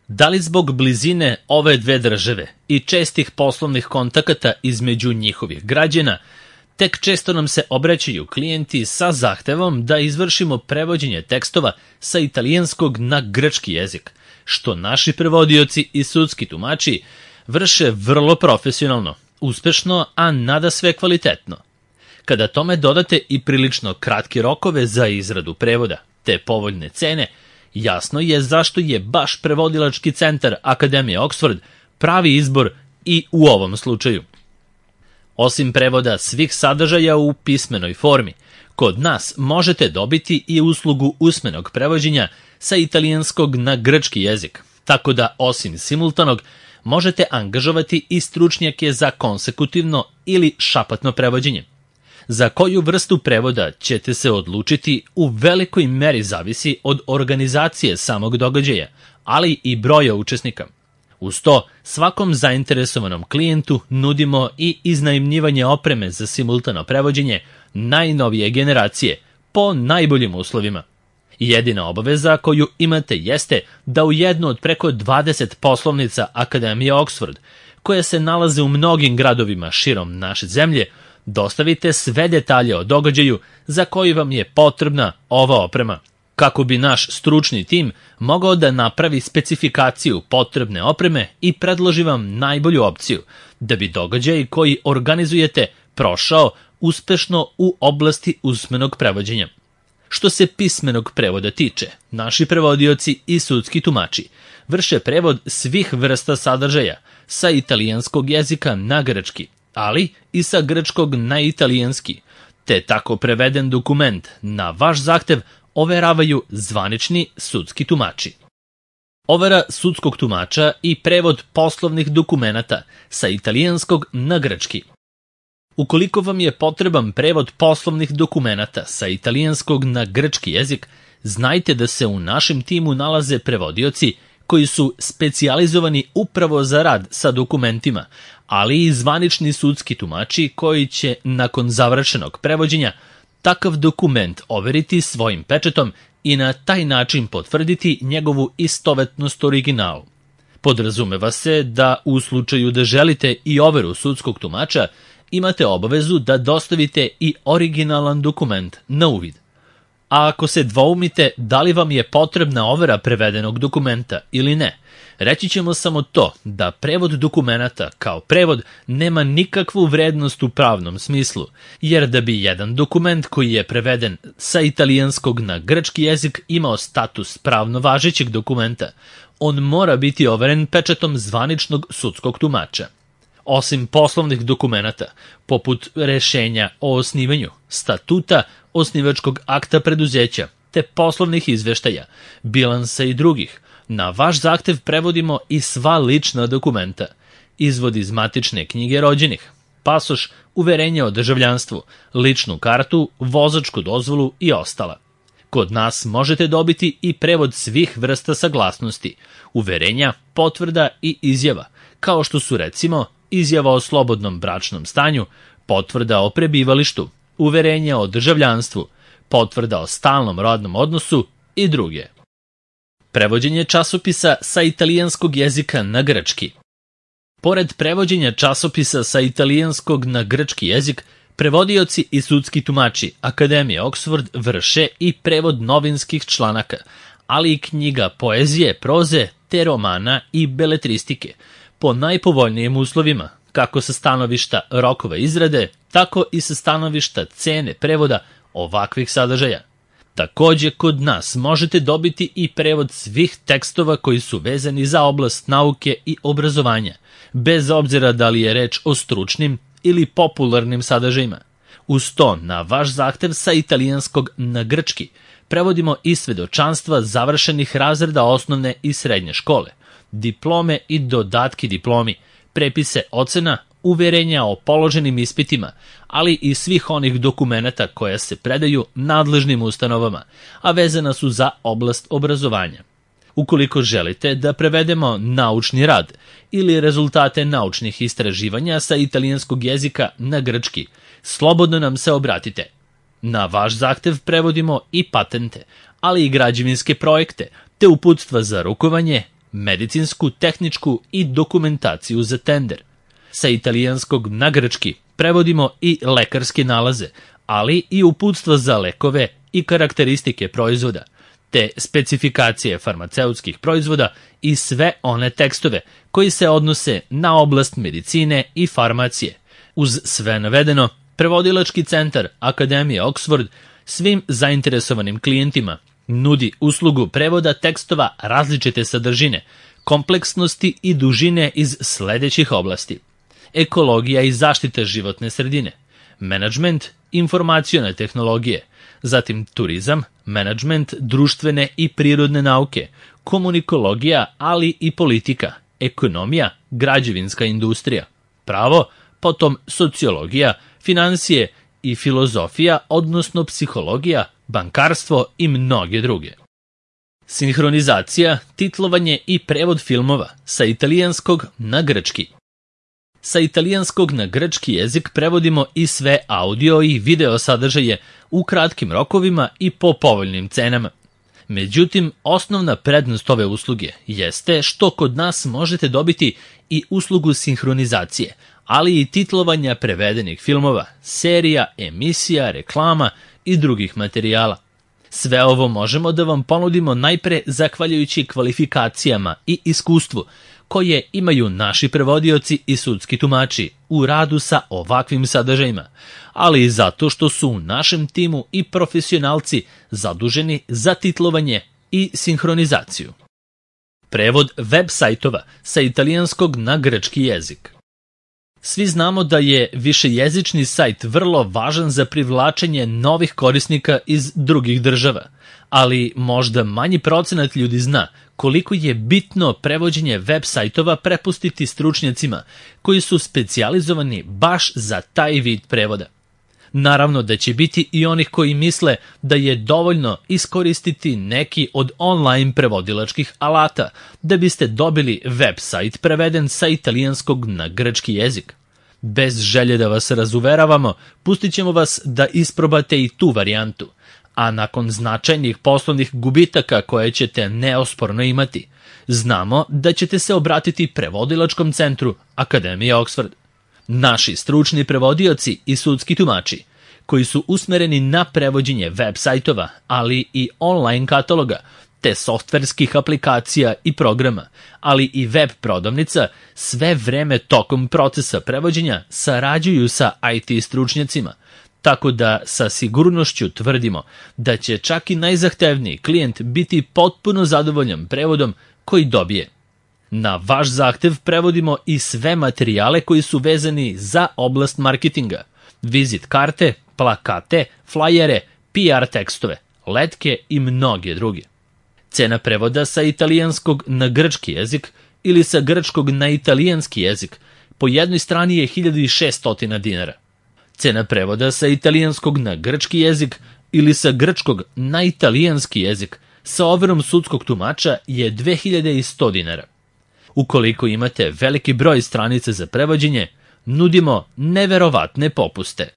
Da li zbog blizine ove dve države i čestih poslovnih kontakata između njihovih građana, tek često nam se obraćaju klijenti sa zahtevom da izvršimo prevođenje tekstova sa italijanskog na grčki jezik, što naši prevodioci i sudski tumači vrše vrlo profesionalno, uspešno, a nadasve kvalitetno. Kada tome dodate i prilično kratke rokove za izradu prevoda, te povoljne cene, jasno je zašto je baš prevodilački centar Akademije Oxford pravi izbor i u ovom slučaju. Osim prevoda svih sadržaja u pismenoj formi, kod nas možete dobiti i uslugu usmenog prevođenja sa italijanskog na grčki jezik, tako da osim simultanog možete angažovati i stručnjake za konsekutivno ili šapatno prevođenje. Za koju vrstu prevoda ćete se odlučiti u velikoj meri zavisi od organizacije samog događaja, ali i broja učesnika. Uz to, svakom zainteresovanom klijentu nudimo i iznajmljivanje opreme za simultano prevođenje najnovije generacije po najboljim uslovima. Jedina obaveza koju imate jeste da u jednu od preko 20 poslovnica Akademije Oxford, koje se nalaze u mnogim gradovima širom naše zemlje, dostavite sve detalje o događaju za koji vam je potrebna ova oprema, kako bi naš stručni tim mogao da napravi specifikaciju potrebne opreme i predloži vam najbolju opciju, da bi događaj koji organizujete prošao uspešno u oblasti usmenog prevođenja. Što se pismenog prevoda tiče, naši prevodioci i sudski tumači vrše prevod svih vrsta sadržaja sa italijanskog jezika na grčki, ali i sa grčkog na italijanski, te tako preveden dokument na vaš zahtev overavaju zvanični sudski tumači. Overa sudskog tumača i prevod poslovnih dokumenata sa italijanskog na grčki. Ukoliko vam je potreban prevod poslovnih dokumenata sa italijanskog na grčki jezik, znajte da se u našem timu nalaze prevodioci koji su specijalizovani upravo za rad sa dokumentima, ali i zvanični sudski tumači koji će, nakon završenog prevođenja, takav dokument overiti svojim pečatom i na taj način potvrditi njegovu istovetnost originalu. Podrazumeva se da u slučaju da želite i overu sudskog tumača, imate obavezu da dostavite i originalan dokument na uvid. A ako se dvoumite da li vam je potrebna overa prevedenog dokumenta ili ne, reći ćemo samo to da prevod dokumenata kao prevod nema nikakvu vrednost u pravnom smislu, jer da bi jedan dokument koji je preveden sa italijanskog na grčki jezik imao status pravno važećeg dokumenta, on mora biti overen pečatom zvaničnog sudskog tumača. Osim poslovnih dokumenata, poput rešenja o osnivanju, statuta, osnivačkog akta preduzeća, te poslovnih izveštaja, bilansa i drugih, na vaš zahtev prevodimo i sva lična dokumenta, izvod iz matične knjige rođenih, pasoš, uverenje o državljanstvu, ličnu kartu, vozačku dozvolu i ostala. Kod nas možete dobiti i prevod svih vrsta saglasnosti, uverenja, potvrda i izjava, kao što su recimo izjava o slobodnom bračnom stanju, potvrda o prebivalištu, uverenje o državljanstvu, potvrda o stalnom rodnom odnosu i druge. Prevođenje časopisa sa italijanskog jezika na grčki. Pored prevođenja časopisa sa italijanskog na grčki jezik, prevodioci i sudski tumači Akademije Oxford vrše i prevod novinskih članaka, ali i knjiga poezije, proze, te romana i beletristike, po najpovoljnijim uslovima, kako sa stanovišta rokova izrade, tako i sa stanovišta cene prevoda ovakvih sadržaja. Takođe, kod nas možete dobiti i prevod svih tekstova koji su vezani za oblast nauke i obrazovanja, bez obzira da li je reč o stručnim ili popularnim sadržajima. Uz to, na vaš zahtev sa italijanskog na grčki, prevodimo i svedočanstva završenih razreda osnovne i srednje škole, diplome i dodatki diplomi, prepise ocena, uverenja o položenim ispitima, ali i svih onih dokumenata koja se predaju nadležnim ustanovama, a vezana su za oblast obrazovanja. Ukoliko želite da prevedemo naučni rad ili rezultate naučnih istraživanja sa italijanskog jezika na grčki, slobodno nam se obratite. Na vaš zahtev prevodimo i patente, ali i građevinske projekte, te uputstva za rukovanje, medicinsku, tehničku i dokumentaciju za tender. Sa italijanskog na grčki prevodimo i lekarske nalaze, ali i uputstva za lekove i karakteristike proizvoda, te specifikacije farmaceutskih proizvoda i sve one tekstove koji se odnose na oblast medicine i farmacije. Uz sve navedeno, prevodilački centar Akademije Oxford svim zainteresovanim klijentima nudi uslugu prevoda tekstova različite sadržine, kompleksnosti i dužine iz sledećih oblasti: ekologija i zaštita životne sredine, menadžment, informacione tehnologije, zatim turizam, menadžment, društvene i prirodne nauke, komunikologija, ali i politika, ekonomija, građevinska industrija, pravo, potom sociologija, finansije i filozofija, odnosno psihologija, bankarstvo i mnoge druge. Sinhronizacija, titlovanje i prevod filmova sa italijanskog na grčki. Sa italijanskog na grčki jezik prevodimo i sve audio i video sadržaje u kratkim rokovima i po povoljnim cenama. Međutim, osnovna prednost ove usluge jeste što kod nas možete dobiti i uslugu sinhronizacije, ali i titlovanja prevedenih filmova, serija, emisija, reklama i drugih materijala. Sve ovo možemo da vam ponudimo najpre zahvaljujući kvalifikacijama i iskustvu koje imaju naši prevodioci i sudski tumači u radu sa ovakvim sadržajima, ali i zato što su u našem timu i profesionalci zaduženi za titlovanje i sinhronizaciju. Prevod web sajtova sa italijanskog na grčki jezik. Svi znamo da je višejezični sajt vrlo važan za privlačenje novih korisnika iz drugih država, ali možda manji procenat ljudi zna koliko je bitno prevođenje web sajtova prepustiti stručnjacima koji su specijalizovani baš za taj vid prevoda. Naravno da će biti i onih koji misle da je dovoljno iskoristiti neki od online prevodilačkih alata da biste dobili web sajt preveden sa italijanskog na grčki jezik. Bez želje da vas razuveravamo, pustit ćemo vas da isprobate i tu varijantu, a nakon značajnih poslovnih gubitaka koje ćete neosporno imati, znamo da ćete se obratiti prevodilačkom centru Akademije Oxford. Naši stručni prevodioci i sudski tumači, koji su usmereni na prevođenje web sajtova, ali i online kataloga, te softverskih aplikacija i programa, ali i web prodavnica, sve vreme tokom procesa prevođenja sarađuju sa IT stručnjacima, tako da sa sigurnošću tvrdimo da će čak i najzahtevniji klijent biti potpuno zadovoljan prevodom koji dobije. Na vaš zahtev prevodimo i sve materijale koji su vezani za oblast marketinga, vizit karte, plakate, flajere, PR tekstove, letke i mnoge druge. Cena prevoda sa italijanskog na grčki jezik ili sa grčkog na italijanski jezik po jednoj strani je 1600 dinara. Cena prevoda sa italijanskog na grčki jezik ili sa grčkog na italijanski jezik sa overom sudskog tumača je 2100 dinara. Ukoliko imate veliki broj stranica za prevođenje, nudimo neverovatne popuste.